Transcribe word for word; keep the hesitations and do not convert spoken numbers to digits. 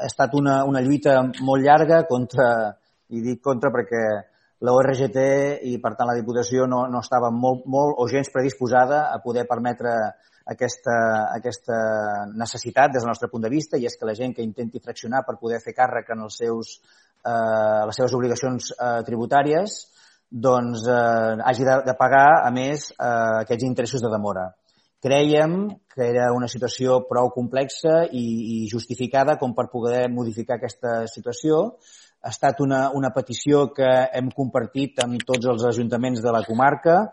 ha estat una, una lluita molt llarga contra, i dic contra perquè la O R G T i, per tant, la Diputació no, no estava molt, molt o gens predisposada a poder permetre aquesta, aquesta necessitat des del nostre punt de vista, i és que la gent que intenti fraccionar per poder fer càrrec en els seus, eh, les seves obligacions eh, tributàries doncs eh, hagi de, de pagar, a més, eh, aquests interessos de demora. Crèiem que era una situació prou complexa i, i justificada com per poder modificar aquesta situació. Ha estat una, una petició que hem compartit amb tots els ajuntaments de la comarca,